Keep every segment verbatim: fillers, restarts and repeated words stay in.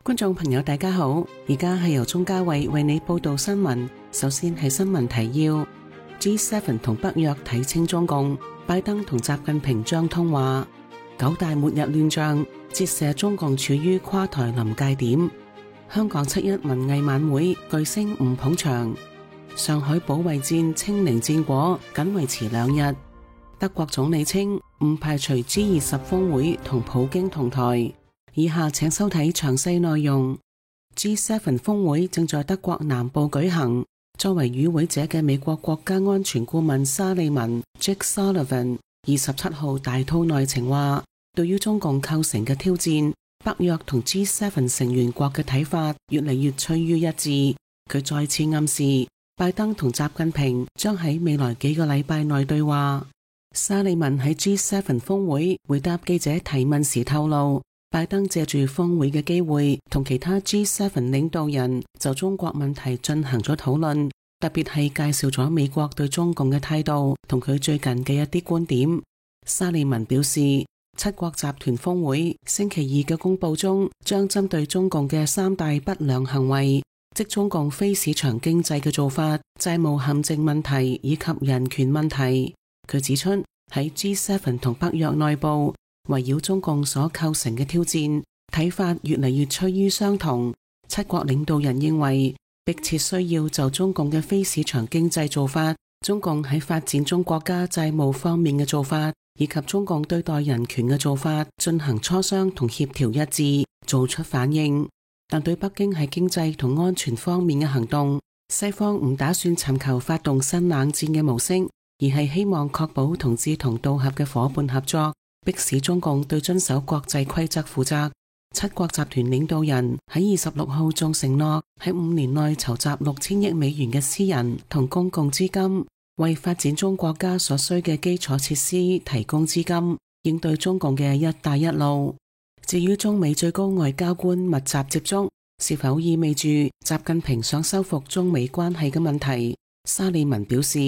觀眾朋友大家好，而家係由鍾嘉慧為你報道新聞。首先係新聞提要 ：G 七 同北約睇清中共，拜登同習近平將通話。九大末日亂象折射中共處於垮台臨界點。香港七一文藝晚會巨星唔捧場。上海保衛戰清零戰果僅維持兩日。德國總理稱唔排除 G 二十峰會同普京同台。以下請收睇詳細內容。G 七 峰會正在德國南部舉行。作為與會者嘅美國國家安全顧問沙利文 Jake Sullivan 二十七號大吐內情話，對於中共構成嘅挑戰，北約同 G 七 成員國嘅睇法越嚟越趨於一致。佢再次暗示拜登同習近平將喺未來幾個禮拜內對話。沙利文喺 G 七 峰會回答記者提問時透露，拜登借住峰會嘅機會，同其他 G 七 領導人就中國問題進行咗討論，特別係介紹咗美國對中共嘅態度同佢最近嘅一啲觀點。沙利文表示，七國集團峰會星期二嘅公佈中，將針對中共嘅三大不良行為，即中共非市場經濟嘅做法、債務陷阱問題以及人權問題。佢指出，喺 G 七 同北約內部，圍繞中共所構成嘅挑戰，睇法越嚟越趨於相同。七國領導人認為，迫切需要就中共嘅非市場經濟做法、中共喺發展中國家債務方面嘅做法，以及中共對待人權嘅做法進行磋商同協調一致，做出反應。但對北京喺經濟同安全方面嘅行動，西方唔打算尋求發動新冷戰嘅模式，而係希望確保同志同道合嘅夥伴合作，迫使中共對遵守國際規則負責。七國集團領導人喺二十六號仲承諾喺五年內籌集六千億美元嘅私人同公共資金，為發展中國家所需嘅基礎設施提供資金，應對中共嘅一帶一路。至於中美最高外交官密集接觸，是否意味住習近平想修復中美關係嘅問題？沙利文表示，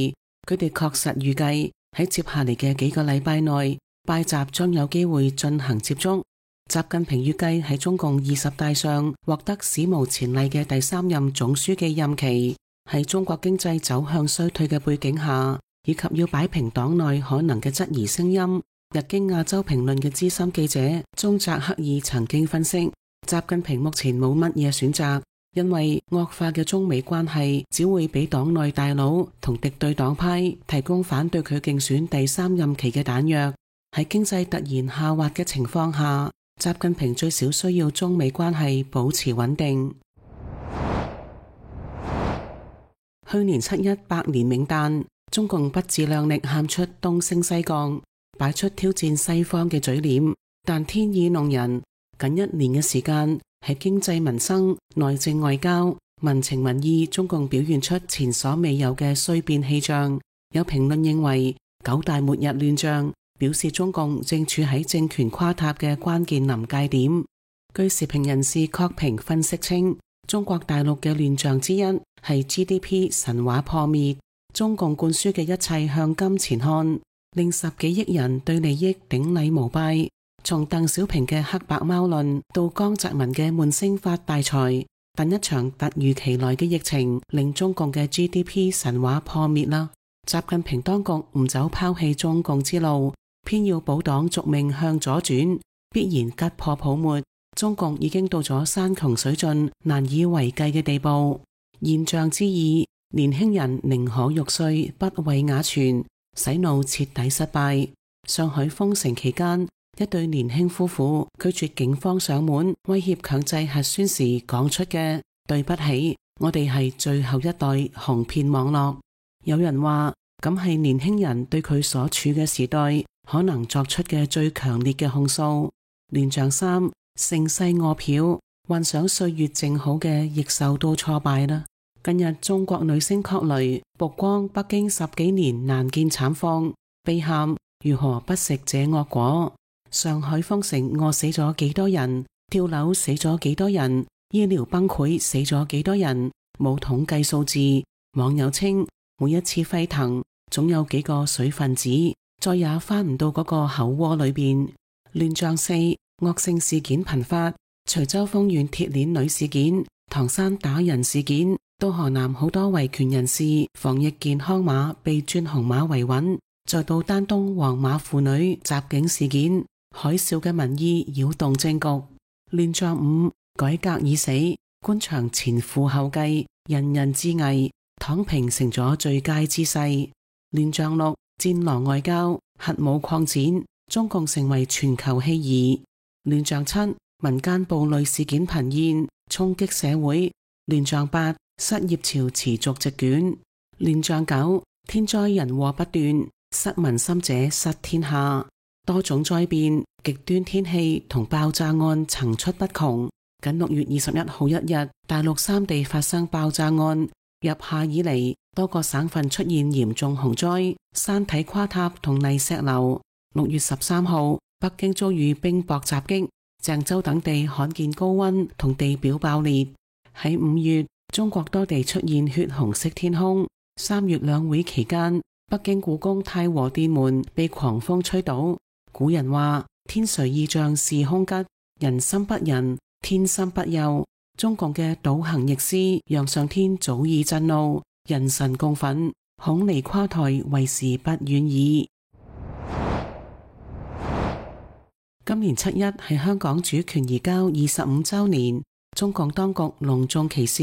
佢哋確實預計喺接下嚟嘅幾個禮拜內，拜習將有機會進行接觸。習近平預計喺中共二十大上獲得史無前例嘅第三任總書記任期，喺中國經濟走向衰退嘅背景下，以及要擺平黨內可能嘅質疑聲音。日經亞洲評論嘅資深記者中澤克爾曾經分析，習近平目前冇乜嘢選擇，因為惡化嘅中美關係只會俾黨內大佬同敵對黨派提供反對佢競選第三任期嘅彈藥。喺經濟突然下滑嘅情況下，習近平最少需要中美關係保持穩定。去年七一百年冥誕，中共不自量力喊出東升西降，擺出挑戰西方嘅嘴臉，但天意弄人，僅一年嘅時間，喺經濟民生、內政外交、民情民意，中共表現出前所未有嘅衰變氣象。有評論認為，九大末日亂象表示中共正處喺政權垮塌嘅關鍵臨界點。據時評人士郝平分析稱，中國大陸嘅亂象之一係 G D P 神話破滅，中共灌輸嘅一切向金錢看，令十幾億人對利益頂禮膜拜。從鄧小平嘅黑白貓論到江澤民嘅悶聲發大財，但一場突如其來嘅疫情令中共嘅 G D P 神話破滅啦。習近平當局唔走拋棄中共之路，偏要保黨續命向左轉，必然吉破泡沫。中共已經到咗山窮水盡難以為繼嘅地步。現象之二，年輕人寧可玉碎不為瓦全，洗腦徹底失敗。上海封城期間，一對年輕夫婦拒絕警方上門威脅強制核酸時講出嘅對不起，我哋係最後一代紅騙網絡。有人話咁係年輕人對佢所處嘅時代可能作出嘅最強烈嘅控訴。亂象三，盛世餓殍，幻想歲月靜好嘅亦受到挫敗啦。近日中國女星郝蕾曝光北京十幾年難見慘況，悲喊如何不食這惡果。上海封城餓死咗幾多人，跳樓死咗幾多人，醫療崩潰死咗幾多人，冇統計數字。網友稱每一次沸騰總有幾個水分子再也翻唔到嗰個口窩裏邊。亂象四，惡性事件頻發，徐州豐縣鐵鏈女事件、唐山打人事件，到河南好多維權人士防疫健康碼被轉紅碼維穩，再到丹東黃碼婦女襲警事件，海嘯嘅民意擾動政局。亂象五，改革已死，官場前赴後繼，人人自危，躺平成咗最佳姿勢。亂象六，戰狼外交，核武擴展，中共成為全球棄兒。亂象七，民間暴戾事件頻現，衝擊社會。亂象八，失業潮持續席捲。亂象九，天災人禍不斷，失民心者失天下。多種災變、極端天氣同爆炸案層出不窮。僅六月二十一號一日，大陸三地發生爆炸案。入夏以嚟，多個省份出現嚴重洪災，山體垮塌同泥石流。六月十三號，北京遭遇冰雹襲擊，鄭州等地罕見高溫同地表爆裂。喺五月，中國多地出現血紅色天空。三月兩會期間，北京故宮太和殿門被狂風吹倒。古人話：天隨意象是凶吉，人心不仁，天心不佑。中共嘅倒行逆施，讓上天早已震怒，人神共憤，恐離垮台為時不遠矣。今年七一係香港主權移交二十五週年，中共當局隆重其事，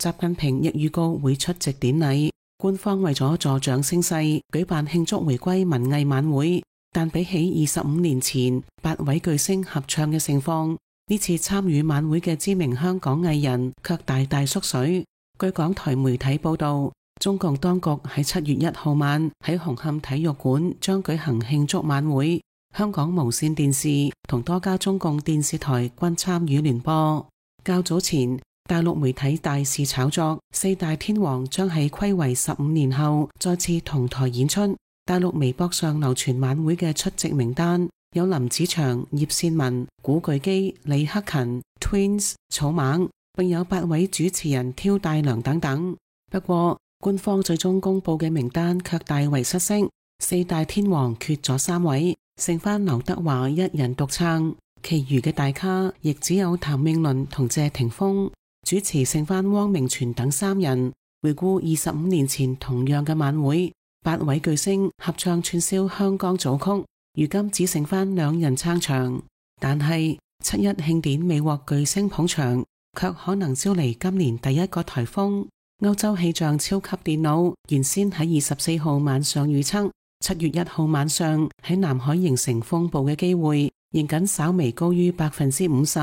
習近平亦預告會出席典禮。官方為咗助長聲勢，舉辦慶祝回歸文藝晚會，但比起二十五年前八位巨星合唱嘅盛況，呢次參與晚會嘅知名香港藝人卻大大縮水。據港台媒體報道，中共當局喺七月一號晚喺紅磡體育館將舉行慶祝晚會，香港無線電視同多家中共電視台均參與聯播。較早前，大陸媒體大肆炒作四大天王將喺睽違十五年後再次同台演出。大陸微博上流傳晚會嘅出席名單，有林子祥、葉倩文、古巨基、李克勤、Twins、草蜢，並有八位主持人挑大梁等等。不過，官方最終公布嘅名單卻大為失色，四大天王缺咗三位，剩返劉德華一人獨撐，其餘嘅大咖亦只有譚詠麟同謝霆鋒，主持剩返汪明荃等三人。回顧二十五年前同樣嘅晚會，八位巨星合唱串燒香港組曲，如今只剩返兩人撐場。但係七一慶典未獲巨星捧場，卻可能招嚟今年第一個颱風。歐洲氣象超級電腦原先喺二十四號晚上預測，七月一號晚上喺南海形成風暴嘅機會仍僅稍微高於百分之五十，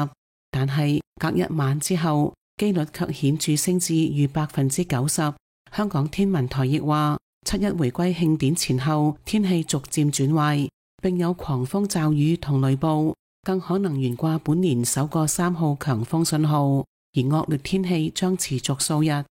但係隔一晚之後，機率卻顯著升至逾百分之九十。香港天文台亦話，七一回歸慶典前後，天氣逐漸轉壞，並有狂風驟雨同雷暴，更可能懸掛本年首個三號強風信號，而惡劣天氣將持續數日。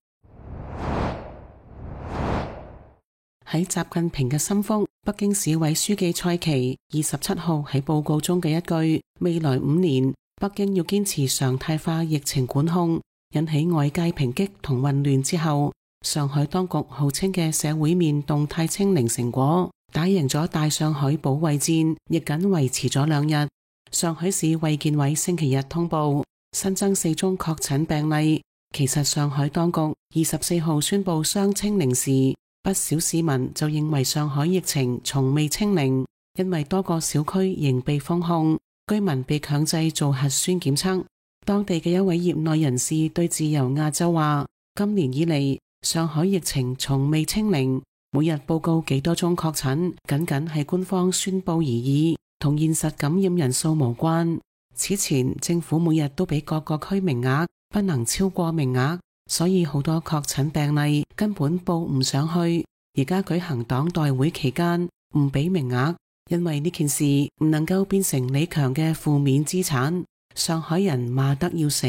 喺習近平嘅心腹，北京市委書記蔡奇二十七號喺報告中嘅一句「未來五年，北京要堅持常態化疫情管控」，引起外界抨擊同混亂之後，上海當局號稱嘅社會面動態清零成果，打贏咗大上海保衛戰，亦僅維持咗兩日。上海市衛健委星期日通報新增四宗確診病例。其實上海當局二十四號宣布雙清零時，不少市民就認為上海疫情從未清零，因為多個小區仍被封控，居民被強制做核酸檢測。當地嘅一位業內人士對自由亞洲話，今年以嚟，上海疫情從未清零，每日報告幾多宗確診，僅僅係官方宣布而已，同現實感染人數無關。此前政府每日都俾各個區名額，不能超過名額，所以好多確診病例根本報唔上去。而家舉行黨代會期間唔俾名額，因為呢件事唔能夠變成李強嘅負面資產。上海人罵得要死。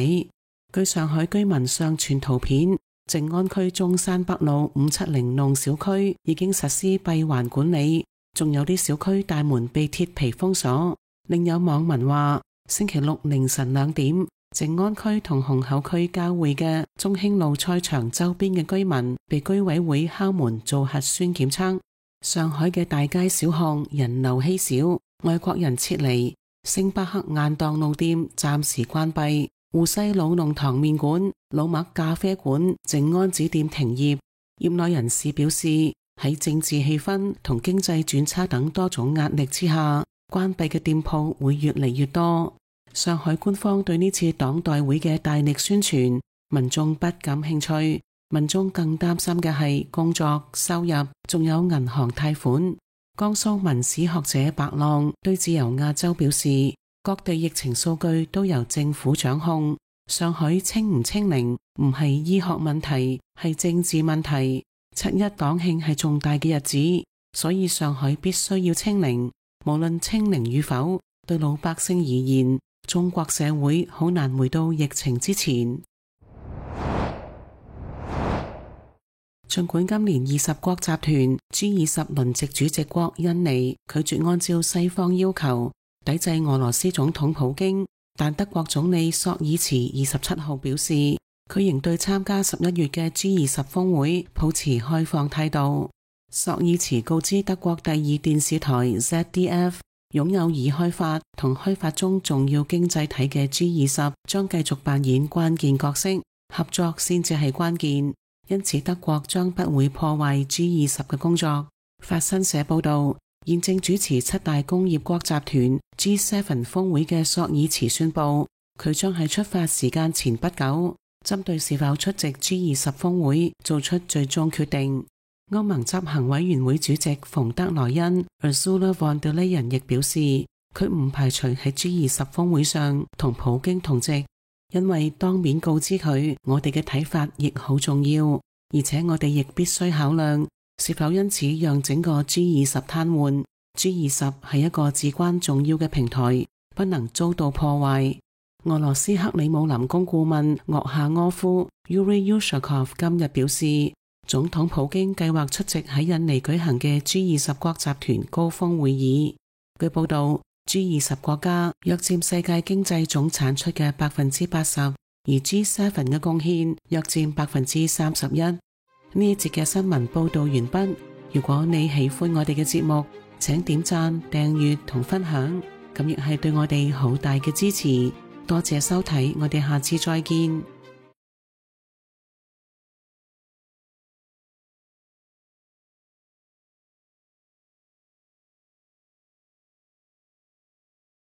據上海居民上傳圖片，靜安區中山北路五七零弄小區已經實施閉環管理，仲有啲小區大門被鐵皮封鎖。另有網民話，星期六凌晨兩點，靜安區同虹口區交匯嘅中興路賽場周邊嘅居民被居委會敲門做核酸檢測。上海嘅大街小巷人流稀少，外國人撤離，星巴克晏檔路店暫時關閉，湖西老弄堂麵館、老麥咖啡館、靜安寺店停業。業內人士表示，喺政治氣氛同經濟轉差等多種壓力之下，關閉嘅店鋪會越嚟越多。上海官方對呢次黨代會嘅大力宣傳，民眾不感興趣。民眾更擔心嘅係工作、收入，仲有銀行貸款。江蘇文史學者白浪對自由亞洲表示，各地疫情數據都由政府掌控，上海清唔清零唔係醫學問題，係政治問題。七一黨慶係重大嘅日子，所以上海必須要清零。無論清零與否，對老百姓而言，中國社會好難回到疫情之前。儘管今年二十國集團 G 二十輪值主席國印尼拒絕按照西方要求抵制俄羅斯總統普京，但德國總理朔爾茨二十七號表示，佢仍對參加十一月嘅 G 二十峰會抱持開放態度。朔爾茨告知德國第二電視台 Z D F， 擁有已開發同開發中重要經濟體嘅 G 二十將繼續扮演關鍵角色，合作先至係關鍵。因此德國將不會破壞 G 二十嘅工作。法新社報道，現正主持七大工業國集團 G 七 峰會嘅朔爾茨宣布，佢將喺出發時間前不久，針對是否出席 G 二十峰會做出最終決定。歐盟執行委員會主席馮德萊恩 Ursula von der Leyen 亦表示，佢唔排除喺 G 二十峰會上同普京同席。因為當面告知佢，我哋嘅睇法亦好重要，而且我哋亦必須考量是否因此讓整個 G 二十癱瘓。G 二十係一個至關重要嘅平台，不能遭到破壞。俄羅斯克里姆林宮顧問鄂夏柯夫 Yuri Ushakov 今日表示，總統普京計劃出席喺印尼舉行嘅 G 二十國集團高峰會議。據報道，G 二十國家約佔世界經濟總產出嘅百分之八十，而 G 七 嘅貢獻約佔百分之三十一。呢一節嘅新聞報道完畢。如果你喜歡我哋嘅節目，請點讚、訂閱同分享，咁亦係對我哋好大嘅支持。多謝收睇，我哋下次再見。